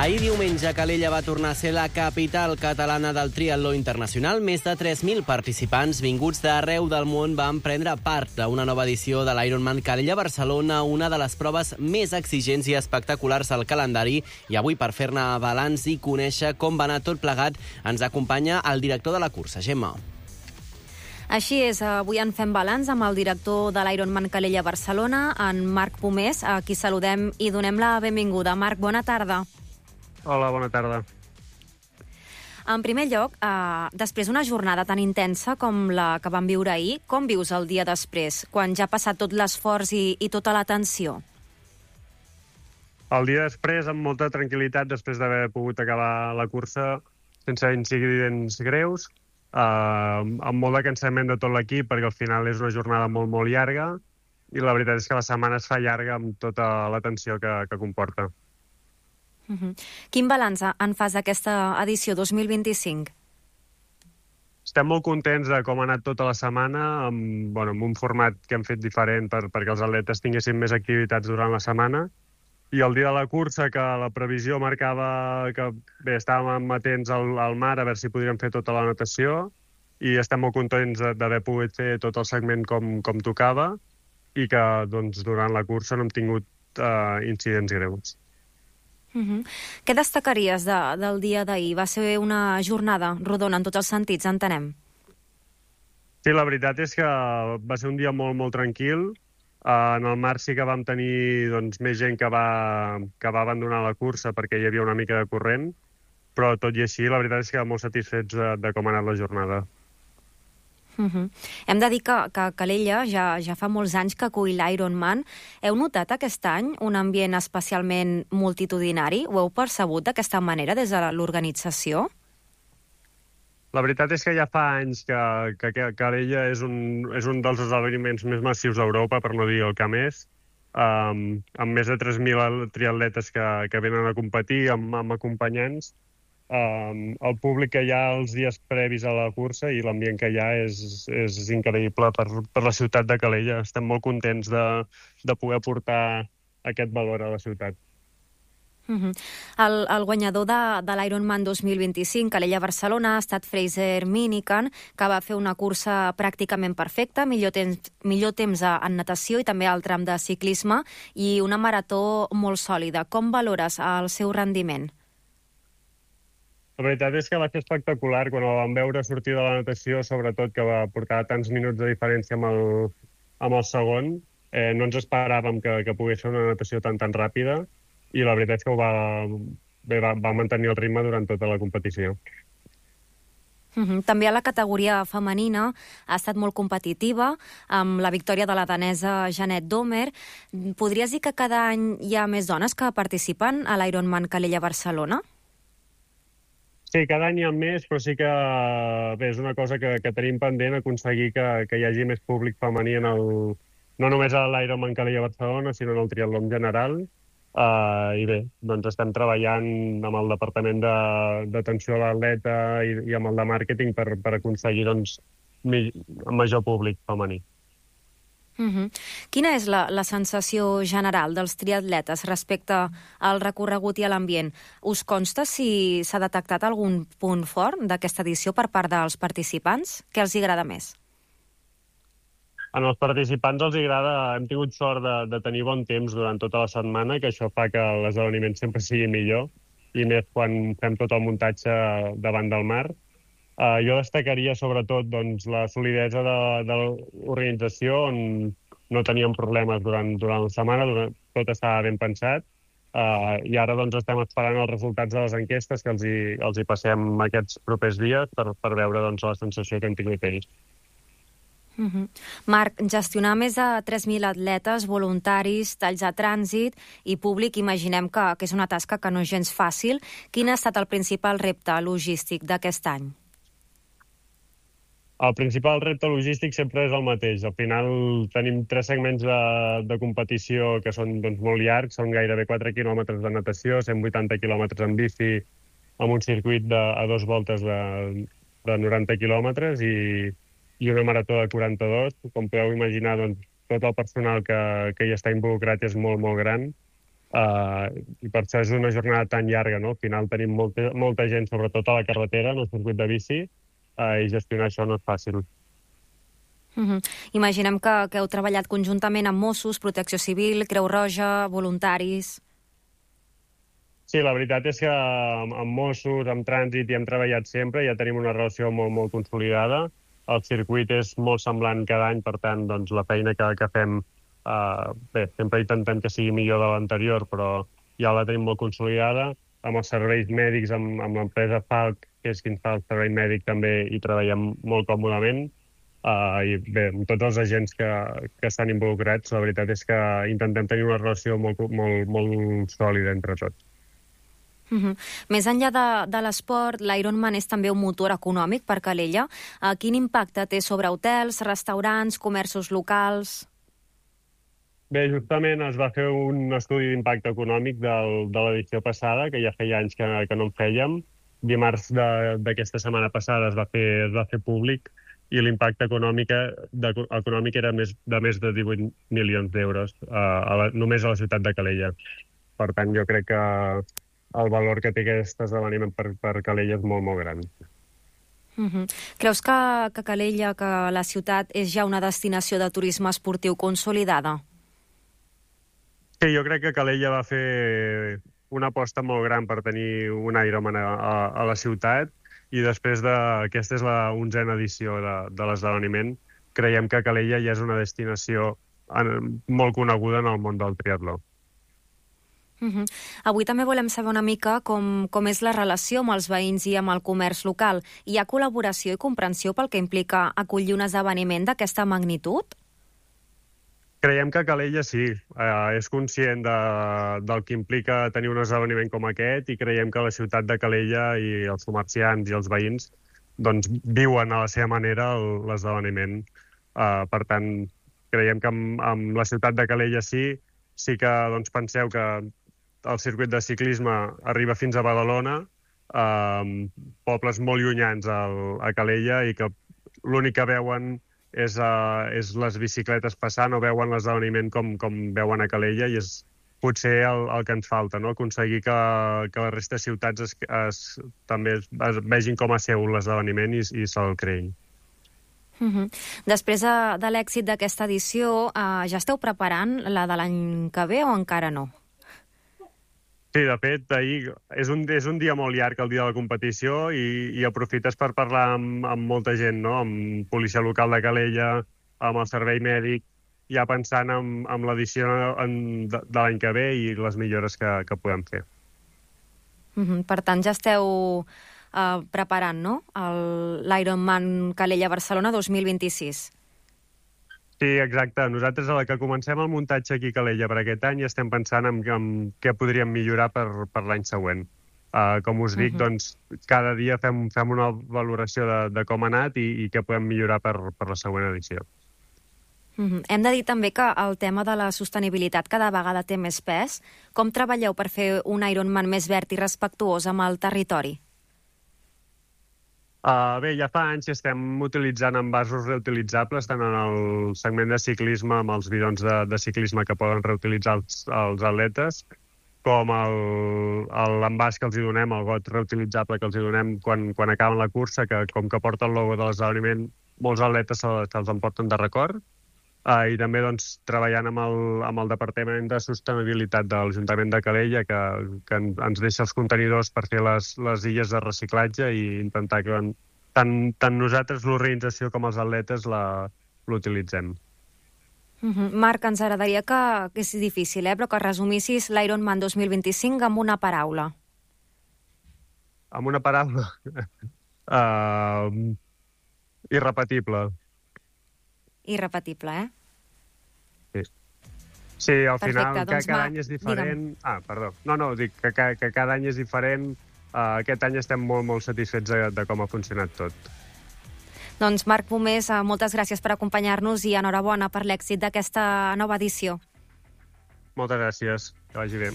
Ahir diumenge, Calella va tornar a ser la capital catalana del triatló internacional. Més de 3.000 participants vinguts d'arreu del món van prendre part a una nova edició de l'Ironman Calella Barcelona, una de les proves més exigents i espectaculars del calendari. I avui, per fer-ne balanç i conèixer com va anar tot plegat, ens acompanya el director de la cursa, Gemma. Així és, avui en fem balanç amb el director de l'Ironman Calella Barcelona, en Marc Pomés, a qui saludem i donem la benvinguda. Marc, bona tarda. Hola, bona tarda. En primer lloc, després d'una jornada tan intensa com la que vam viure ahir, com vius el dia després, quan ja ha passat tot l'esforç i tota la tensió? El dia després, amb molta tranquil·litat, després d'haver pogut acabar la cursa sense incidents greus, amb molt de cansament de tot l'equip, perquè al final és una jornada molt, molt llarga, i la veritat és que la setmana es fa llarga amb tota la tensió que comporta. Quin balanç en fas d'aquesta edició 2025? Estem molt contents de com ha anat tota la setmana, amb un format que hem fet diferent perquè els atletes tinguessin més activitats durant la setmana. I el dia de la cursa, que la previsió marcava que estàvem atents al mar a veure si podríem fer tota la natació, i estem molt contents d'haver pogut fer tot el segment com tocava i que durant la cursa no hem tingut incidents greus. Què destacaries del dia d'ahir? Va ser una jornada rodona en tots els sentits, entenem. Sí, la veritat és que va ser un dia molt, molt tranquil. En el mar sí que vam tenir més gent que va abandonar la cursa perquè hi havia una mica de corrent, però tot i així la veritat és que molt satisfets de com ha anat la jornada. Hem de dir que Calella ja fa molts anys que acull l'Ironman. Heu notat aquest any un ambient especialment multitudinari? Ho heu percebut d'aquesta manera des de l'organització? La veritat és que ja fa anys que Calella és un dels esdeveniments més massius d'Europa, per no dir el que més, amb més de 3.000 triatletes que venen a competir, amb acompanyants. El públic que hi ha els dies previs a la cursa i l'ambient que hi ha és increïble per la ciutat de Calella. Estem molt contents de poder portar aquest valor a la ciutat. El guanyador de l'Ironman 2025, Calella Barcelona, ha estat Fraser Minican, que va fer una cursa pràcticament perfecta, millor temps en natació i també al tram de ciclisme, i una marató molt sòlida. Com valores el seu rendiment? La veritat és que va ser espectacular quan el vam veure sortir de la natació, sobretot que va portar tants minuts de diferència amb el segon. No ens esperàvem que pogués ser una natació tan ràpida, i la veritat és que va mantenir el ritme durant tota la competició. També a la categoria femenina ha estat molt competitiva, amb la victòria de la danesa Jeanette Domer. Podries dir que cada any hi ha més dones que participen a l'Ironman Calella Barcelona? Sí, cada any hi ha més, però sí que és una cosa que tenim pendent, aconseguir que hi hagi més públic femení no només a l'Ironman Calella Barcelona, sinó en el triatló en general. I bé, estem treballant amb el departament d'atenció a l'atleta i amb el de màrqueting per aconseguir major públic femení. Quina és la sensació general dels triatletes respecte al recorregut i a l'ambient? Us consta si s'ha detectat algun punt fort d'aquesta edició per part dels participants? Què els agrada més? En els participants els agrada, hem tingut sort de tenir bon temps durant tota la setmana, que això fa que l'esdeveniment sempre sigui millor, i més quan fem tot el muntatge davant del mar. Jo destacaria sobretot la solidesa de l'organització, on no teníem problemes durant la setmana, tot estava ben pensat, i ara estem esperant els resultats de les enquestes que els hi passem aquests propers dies per veure la sensació que hem tingut ells. Marc, gestionar més de 3.000 atletes, voluntaris, talls de trànsit i públic, imaginem que és una tasca que no és gens fàcil. Quin ha estat el principal repte logístic d'aquest any? El principal repte logístic sempre és el mateix. Al final tenim 3 segments de competició que són molt llargs, són gairebé 4 quilòmetres de natació, 180 quilòmetres en bici, amb un circuit a 2 voltes de 90 quilòmetres i una marató de 42. Com podeu imaginar, tot el personal que hi està involucrat és molt, molt gran. I per això és una jornada tan llarga, no? Al final tenim molta gent, sobretot a la carretera, en el circuit de bici, i gestionar això no és fàcil. Imaginem que heu treballat conjuntament amb Mossos, Protecció Civil, Creu Roja, voluntaris... Sí, la veritat és que amb Mossos, amb Trànsit, hi hem treballat sempre, ja tenim una relació molt, molt consolidada. El circuit és molt semblant cada any, per tant, doncs, la feina que fem, sempre intentem que sigui millor de l'anterior, però ja la tenim molt consolidada. Amb els serveis mèdics, amb l'empresa Falc, que és qui ens fa el servei mèdic, també hi treballem molt còmodament. I bé, amb tots els agents que estan involucrats, la veritat és que intentem tenir una relació molt, molt, molt sòlida entre tots. Més enllà de l'esport, l'Ironman és també un motor econòmic per Calella. Quin impacte té sobre hotels, restaurants, comerços locals? Bé, justament es va fer un estudi d'impacte econòmic de l'edició passada, que ja feia anys que no en fèiem. Dimarts d'aquesta setmana passada es va fer públic i l'impacte econòmic era de més de 18 milions d'euros només a la ciutat de Calella. Per tant, jo crec que el valor que té aquest esdeveniment per Calella és molt, molt gran. Creus que Calella, que la ciutat, és ja una destinació de turisme esportiu consolidada? Sí, jo crec que Calella va fer una aposta molt gran per tenir un Ironman a la ciutat i després aquesta és la 11a edició de l'esdeveniment. Creiem que Calella ja és una destinació molt coneguda en el món del triatló. Avui també volem saber una mica com és la relació amb els veïns i amb el comerç local. Hi ha col·laboració i comprensió pel que implica acollir un esdeveniment d'aquesta magnitud? Creiem que Calella sí, és conscient del que implica tenir un esdeveniment com aquest i creiem que la ciutat de Calella i els comerciants i els veïns doncs, viuen a la seva manera l'esdeveniment. Per tant, creiem que amb la ciutat de Calella sí que doncs, penseu que el circuit de ciclisme arriba fins a Badalona, pobles molt llunyans a Calella, i que l'únic que veuen és les bicicletes passant o veuen l'esdeveniment com veuen a Calella, i és potser el que ens falta, no? Aconseguir que la resta de ciutats també es vegin com a seu l'esdeveniment i se'l creïn. Després de l'èxit d'aquesta edició, ja esteu preparant la de l'any que ve o encara no? Sí, de fet, ahir és un dia molt llarg, el dia de la competició, i aprofites per parlar amb molta gent, no? Amb policia local de Calella, amb el servei mèdic, ja pensant en l'edició de l'any que ve i les millores que podem fer. Per tant, ja esteu preparant, no?, l'Ironman Calella-Barcelona 2026. Sí, exacte. Nosaltres, a la que comencem el muntatge aquí a Calella per aquest any, estem pensant en què podríem millorar per l'any següent. Com us dic, doncs, cada dia fem una valoració de com ha anat i què podem millorar per la següent edició. Hem de dir també que el tema de la sostenibilitat cada vegada té més pes. Com treballeu per fer un Ironman més verd i respectuós amb el territori? Bé, ja fa anys que estem utilitzant envasos reutilitzables, tant en el segment de ciclisme, amb els bidons de ciclisme que poden reutilitzar els atletes, com l'envàs que els hi donem, el got reutilitzable que els hi donem quan acaben la cursa, que com que porta el logo de l'esdeveniment, molts atletes se'ls emporten de record. I també doncs, treballant amb el Departament de Sostenibilitat de l'Ajuntament de Calella, que ens deixa els contenidors per fer les illes de reciclatge i intentar que tant nosaltres, l'organització, com els atletes l'utilitzem. Marc, ens agradaria que és difícil, però que resumissis l'Ironman 2025 amb una paraula. Amb una paraula? Irrepetible. Irrepetible, Sí, al final, perfecte, doncs, cada any és diferent. Perdó. No, dic que cada any és diferent. Aquest any estem molt, molt satisfets de com ha funcionat tot. Doncs Marc Pomés, moltes gràcies per acompanyar-nos i enhorabona per l'èxit d'aquesta nova edició. Moltes gràcies. Que vagi bé.